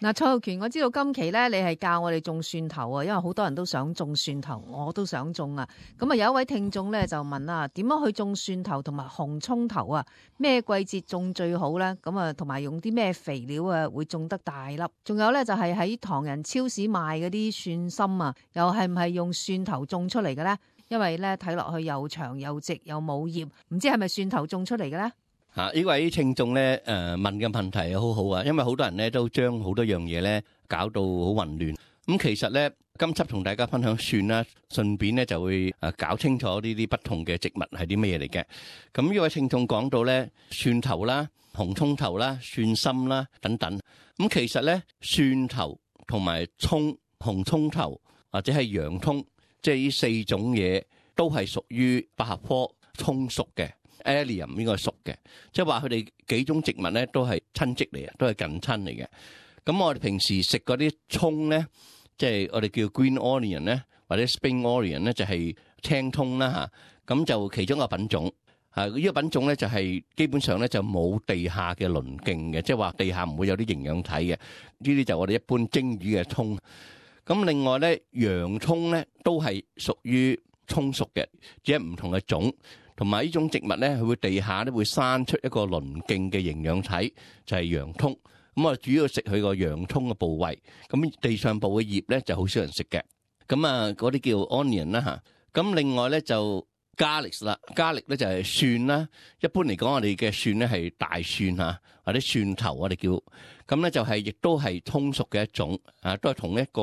嗱，蔡浩權，我知道今期咧，你係教我哋種蒜頭啊，因為好多人都想種蒜頭，我都想種啊。咁啊，有一位聽眾咧就問啊，點樣去種蒜頭同埋紅葱頭啊？咩季節種最好咧？咁啊，同埋用啲咩肥料啊，會種得大粒？仲有咧就係喺唐人超市賣嗰啲蒜心啊，又係唔係用蒜頭種出嚟嘅咧？因為咧睇落去又長又直又冇葉，唔知係咪蒜頭種出嚟嘅咧？呢位聽眾咧問嘅問題好好啊，因為好多人咧都將好多樣嘢咧搞到好混亂。咁其實咧今輯同大家分享蒜啦，順便咧就會搞清楚呢啲不同嘅植物係啲咩嚟嘅。咁呢位聽眾講到咧蒜頭啦、紅葱頭啦、蒜心啦等等。咁其實咧蒜頭同埋葱、紅葱頭或者係洋葱，即係呢四種嘢都係屬於百合科葱屬嘅。Allium 應該係屬嘅，即係話佢哋幾種植物咧都係親戚嚟嘅，都係近親嚟嘅。咁我哋平時食嗰啲葱咧，即係我哋叫 green onion 咧，或者 spring onion 咧，就係青葱啦嚇。咁就其中一個品種嚇，呢個品種咧就係基本上咧就冇地下嘅鱗莖嘅，即係話地下唔會有啲營養體嘅。呢啲就我哋一般蒸魚嘅葱。咁另外咧洋葱咧都係屬於葱屬嘅，只係唔同嘅種。同埋呢種植物咧，佢會地下咧會生出一個鱗莖嘅營養體，就係洋葱。咁我主要食佢個洋葱嘅部位。咁地上部嘅葉咧就好少人食嘅。咁啊，嗰啲叫 onion 啦嚇。咁另外咧就 garlic 啦，garlic 咧就係蒜啦。一般嚟講，我哋嘅蒜咧係大蒜嚇，或者蒜頭我哋叫。咁咧就係亦都係葱屬嘅一種，都係同一個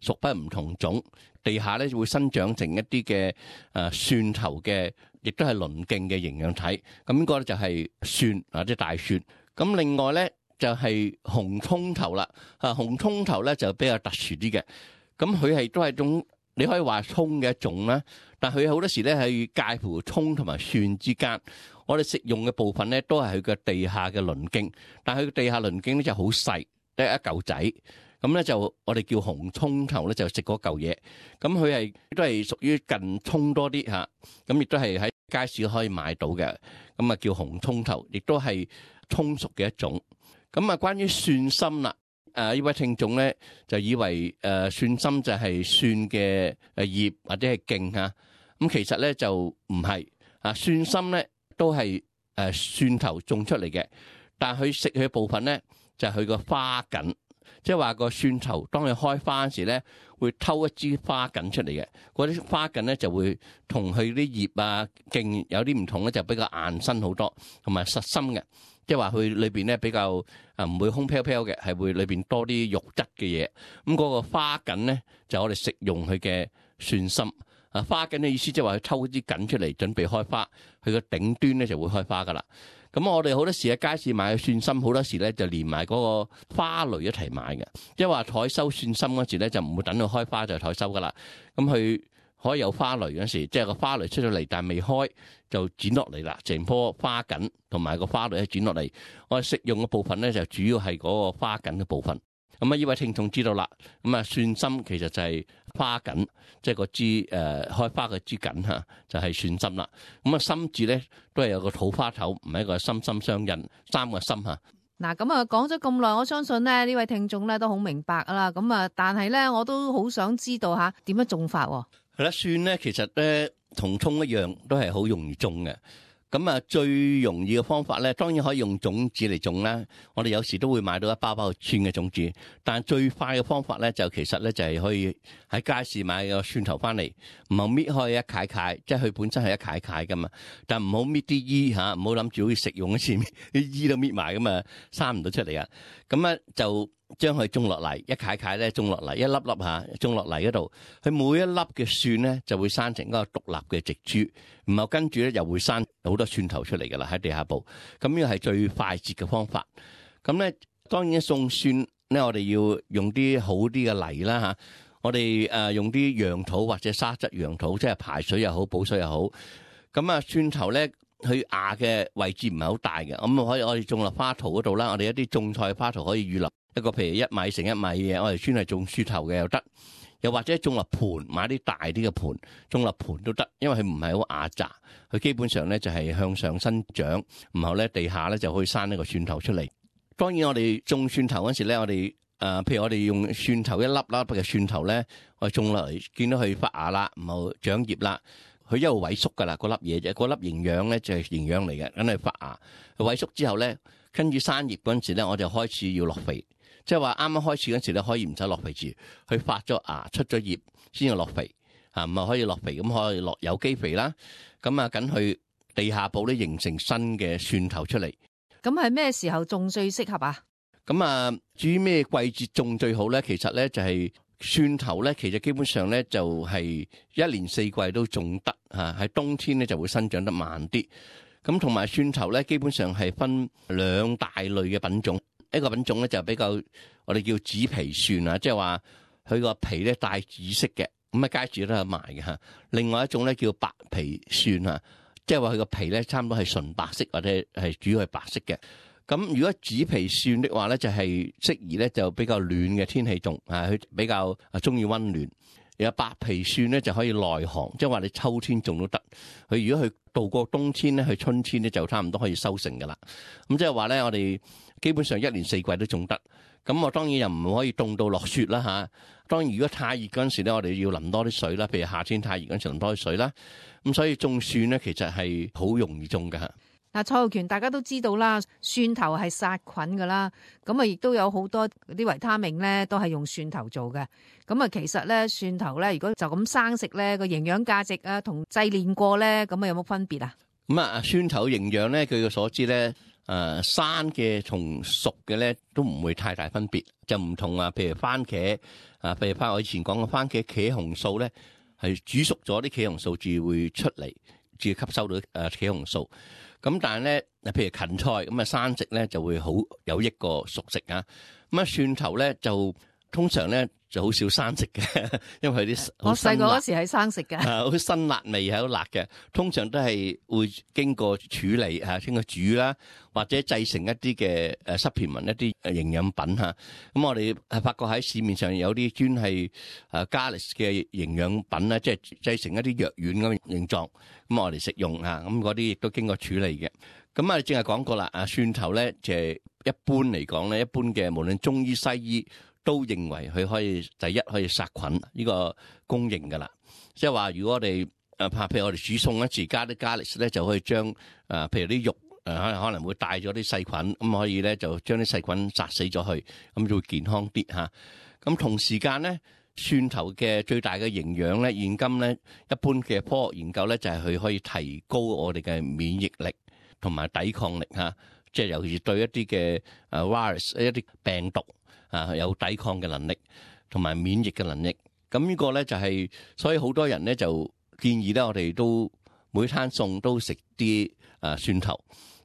屬不唔同種。地下咧會生長成一啲嘅蒜頭嘅。亦都係鱗莖嘅營養體，咁呢個咧就係蒜或者大蒜。咁另外咧就係紅葱頭啦，紅葱頭咧就比較特殊啲嘅。咁佢係都係種你可以話葱嘅一種啦，但佢好多時咧係介乎葱同埋蒜之間。我哋食用嘅部分咧都係佢嘅地下嘅鱗莖，但係佢地下鱗莖咧就好細，得一嚿仔。咁咧就我哋叫紅葱頭咧，就食嗰嚿嘢。咁佢係都係屬於近葱多啲嚇，咁亦都係喺街市可以買到嘅。咁啊叫紅葱頭，亦都係葱屬嘅一種。咁啊關於蒜心啦，呢位聽眾咧就以為蒜心就係蒜嘅葉或者係莖嚇。咁其實咧就唔係蒜心咧都係蒜頭種出嚟嘅，但係佢食佢嘅部分咧就係佢個花梗。即係話個蒜頭，當佢開花嗰時咧，會偷一支花梗出嚟嘅。嗰啲花梗咧就會同佢啲葉啊莖有啲唔同咧，就比較硬身好多，同埋實心嘅。即係話佢裏邊咧比較唔會空飄飄嘅，係會裏邊多啲肉質嘅嘢。咁嗰個花梗咧就我哋食用佢嘅蒜心。花梗嘅意思即係話佢抽支梗出嚟準備開花，佢個頂端咧就會開花噶啦。咁我哋好多時喺街市買嘅蒜心，好多時咧就連埋嗰個花蕾一齊買嘅，即係話採收蒜心嗰時咧就唔會等到開花就採收噶啦。咁佢可以有花蕾嗰時，即係個花蕾出咗嚟但係未開就剪落嚟啦，成棵花梗同埋個花蕾剪落嚟。我哋食用嘅部分咧就主要係嗰個花梗嘅部分。咁啊，呢位聽眾知道啦。咁啊，蒜心其實就係花梗，即係個枝開花嘅枝梗嚇，就係蒜心啦。咁啊，心字咧都係有個土花頭，唔係一個心心相印，三個心嚇。嗱，咁啊講咗咁耐，我相信咧呢位聽眾咧都好明白啦。咁啊，但係咧我都好想知道嚇點樣種法喎。係啦，蒜咧其實咧同葱一樣，都係好容易種嘅。咁啊，最容易嘅方法咧，當然可以用種子嚟種啦。我哋有時都會買到一包包蒜嘅種子，但係最快嘅方法咧，就其實咧就係可以喺街市買個蒜頭翻嚟，唔好搣開一塊塊，即係佢本身係一塊塊噶嘛。但唔好搣啲衣嚇，唔好諗住好似食用嗰時啲衣都搣埋咁啊，生唔到出嚟啊。咁咧就將佢種落嚟，一塊塊咧種落嚟，一粒粒嚇種落嚟嗰度，佢每一粒嘅蒜咧就會生成一個獨立嘅植株，然後跟住咧又會生好多蒜頭出嚟㗎啦喺地下部。咁呢個係最快捷嘅方法。咁咧當然種蒜咧，我哋要用啲好啲嘅泥啦嚇。我哋用啲楊土或者沙質楊土，即係排水又好補水又好。咁啊蒜頭咧，佢芽嘅位置唔係好大嘅，咁可以我哋種落花槽嗰度啦。我哋一啲種菜花槽可以預留一個譬如1米乘1米嘅，我哋專係種蒜頭嘅又得，又或者種落盤，買啲大啲嘅盤種落盤都得，因為佢唔係好壓榨，佢基本上咧就係向上生長，然後咧地下咧就可以生一個蒜頭出嚟。當然我哋種蒜頭嗰時咧，我哋譬如我哋用蒜頭一粒啦，嘅蒜頭咧，我哋種落嚟見到佢發芽啦，然後長葉啦，佢一路萎縮噶啦，嗰粒嘢啫，嗰粒營養咧就係營養嚟嘅，梗係發芽。萎縮之後咧，跟住生葉嗰陣時咧，我就開始要落肥，即係話啱啱開始嗰陣時咧，可以唔使落肥住，佢發咗芽出咗葉先要落肥，唔係可以落肥，咁可以落有機肥啦。咁啊，緊去地下部咧形成新嘅蒜頭出嚟。咁係咩時候種最適合啊？咁啊，至於咩季節種最好咧？其實咧就係蒜頭咧，其實基本上咧就係一年四季都種得嚇，喺冬天咧就會生長得慢啲。咁同埋蒜頭咧，基本上係分兩大類嘅品種，一個品種咧就比較我哋叫紫皮蒜啊，即係話佢個皮咧帶紫色嘅，咁啊街市都有賣嘅嚇。另外一種咧叫白皮蒜啊，即係話佢個皮咧差唔多係純白色或者係主要係白色嘅。咁如果紫皮蒜的話咧，就係適宜咧就比較暖嘅天氣種啊，佢比較中意溫暖。有白皮蒜咧就可以耐寒，即係話你秋天種都得。佢如果佢度過冬天咧，去春天咧就差唔多可以收成噶啦。咁即係話咧，我哋基本上一年四季都種得。咁我當然又唔可以凍到落雪啦嚇。當然如果太熱嗰陣時咧，我哋要淋多啲水啦。譬如夏天太熱嗰陣時淋多啲水啦。咁所以種蒜咧其實係好容易種㗎嚇。嗱，蔡浩權大家都知道啦，蒜頭係殺菌噶啦，咁啊亦都有好多啲維他命咧，都係用蒜頭做嘅。咁啊，其實咧蒜頭咧，如果就咁生食咧，個營養價值啊，同製煉過咧，咁啊有冇分別啊？咁啊，蒜頭營養咧，據我所知咧，生嘅同熟嘅咧都唔會太大分別，就唔同啊。譬如番茄啊，譬如我以前講嘅番茄茄紅素咧，係煮熟咗啲茄紅素至會出嚟，至吸收到茄紅素。咁但係咧，譬如芹菜咁啊，生食咧就會好有益過熟食啊。咁啊，蒜頭咧就通常咧就好少生食嘅，因為佢啲我細個嗰時係生食嘅，好辛辣味係好辣嘅。通常都係會經過處理嚇，經過煮啦，或者製成一啲嘅supplement一啲營養品嚇。咁我哋係發覺喺市面上有啲專係Garlic 嘅營養品咧，即係製成一啲藥丸咁形狀，咁我哋食用嚇。咁嗰啲亦都經過處理嘅。咁啊，正係講過啦，蒜頭咧就係一般嚟講咧，一般嘅無論中醫西醫都認為佢可以第一可以殺菌，呢個公認噶啦。即係話如果我哋譬如我哋煮餸一時加啲 garlic 咧，就可以將譬如啲肉可能會帶咗啲細菌，咁可以咧就將啲細菌殺死咗去，咁就會健康啲嚇。咁同時間咧，蒜頭嘅最大嘅營養咧，現今咧一般嘅科學研究咧就係佢可以提高我哋嘅免疫力同埋抵抗力嚇，即係尤其是對一啲嘅virus 一啲病毒有抵抗嘅能力同埋免疫嘅能力。咁呢個咧就係，所以好多人咧就建議咧，我哋都每餐餸都食啲蒜頭，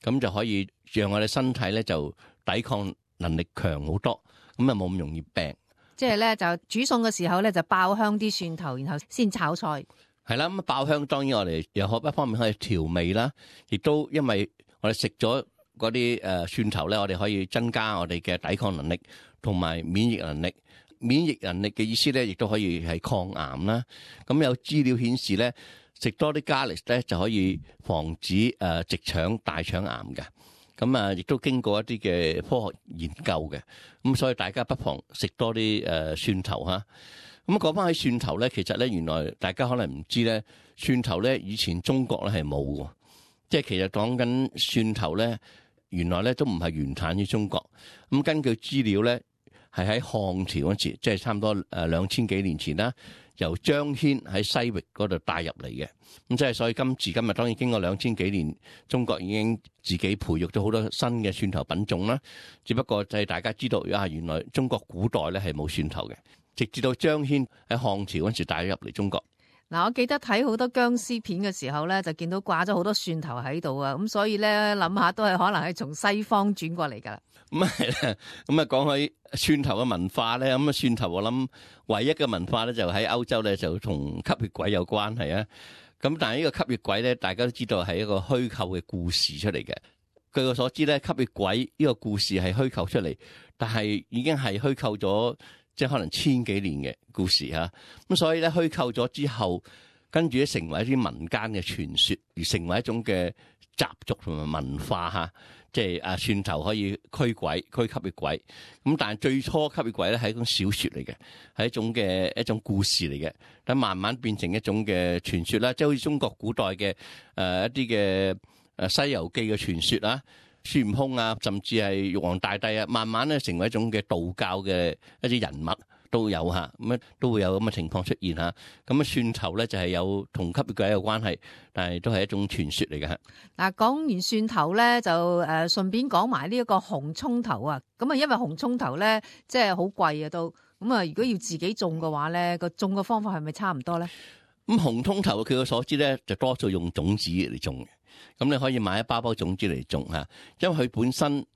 咁就可以讓我哋身體咧就抵抗能力強好多，咁啊冇咁容易病。即係咧就煮餸嘅時候咧就爆香啲蒜頭，然後先炒菜。係啦，咁爆香當然我哋又一方面可以調味啦，亦都因為我哋食咗嗰啲蒜頭咧，我哋可以增加我哋嘅抵抗能力同埋免疫能力。免疫能力嘅意思咧，亦都可以係抗癌啦。咁有資料顯示咧，食多啲 garlic 咧就可以防止直腸大腸癌嘅。咁啊，亦都經過一啲嘅科學研究嘅。咁所以大家不妨食多啲蒜頭嚇。咁講翻起蒜頭咧，其實咧原來大家可能唔知咧，蒜頭咧以前中國咧係冇嘅，即係其實講緊蒜頭咧，原來咧都唔係原產於中國。咁根據資料咧，係喺漢朝嗰時，即係差唔多2000幾年前啦，由張騫喺西域嗰度帶入嚟嘅。咁即係所以今時今日，當然經過2000幾年，中國已經自己培育咗好多新嘅蒜頭品種啦。只不過就係大家知道原來中國古代咧係冇蒜頭嘅。直至到張騫喺漢朝嗰時帶咗入嚟中國。嗱，我記得睇好多僵屍片嘅時候咧，就見到掛咗好多蒜頭喺度啊，咁所以咧諗下都係可能係從西方轉過嚟噶啦。咁係啦，咁啊講起蒜頭嘅文化咧，咁啊蒜頭我諗唯一嘅文化咧就喺歐洲咧就同吸血鬼有關係啊。咁但係呢個吸血鬼咧，大家都知道係一個虛構嘅故事出嚟嘅。據我所知咧，吸血鬼呢個故事係虛構出嚟，但係已經係虛構咗。即係可能1000幾年嘅故事嚇，咁所以咧虛構咗之後，跟住咧成為一啲民間嘅傳說，而成為一種嘅習俗同埋文化嚇，即係蒜頭可以驅吸血鬼。咁但係最初吸血鬼咧係一種小說嚟嘅，係一種故事嚟嘅。但慢慢變成一種嘅傳說啦，即係好似中國古代嘅一啲嘅《西遊記》嘅傳說啦，孫悟空啊，甚至係玉皇大帝啊，慢慢咧成為一種嘅道教嘅一啲人物都有嚇，咁都會有咁嘅情況出現嚇。咁蒜頭咧就係有同吸血鬼有關係，但係都係一種傳說嚟嘅嚇。嗱，講完蒜頭咧，就順便講埋呢一個紅葱頭啊。咁啊，因為紅葱頭咧即係好貴啊都。咁啊，如果要自己種嘅話咧，個種嘅方法係咪差唔多咧？咁紅葱頭據我所知咧，就多數用種子嚟種嘅。咁你可以買一包種子嚟種嚇，因為佢本身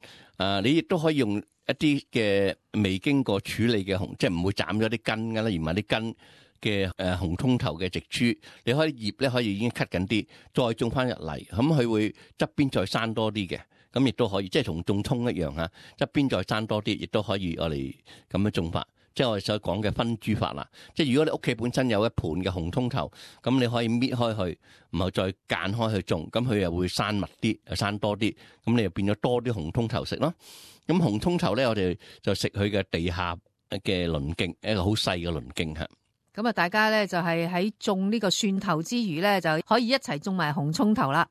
你亦都可以用一啲嘅未經過處理嘅紅，即係唔會斬咗啲根㗎啦，而唔係啲根嘅紅葱頭嘅植株，你可以葉咧可以已經 cut 緊啲，再種翻入嚟，咁佢會側邊再生多啲嘅。咁亦都可以，即係同種葱一樣嚇，側邊再生多啲，亦都可以我哋咁樣種法。即係我哋所講嘅分株法啦。即係如果你屋企本身有一盤嘅紅葱頭，咁你可以搣開佢，然後再間開去種，咁佢又會生密啲，又生多啲，咁你又變咗多啲紅葱頭食咯。咁紅葱頭咧，我哋就食佢嘅地下嘅鱗莖，一個好細嘅鱗莖嚇。咁啊，大家咧就係喺種呢個蒜頭之餘咧，就可以一齊種埋紅葱頭啦。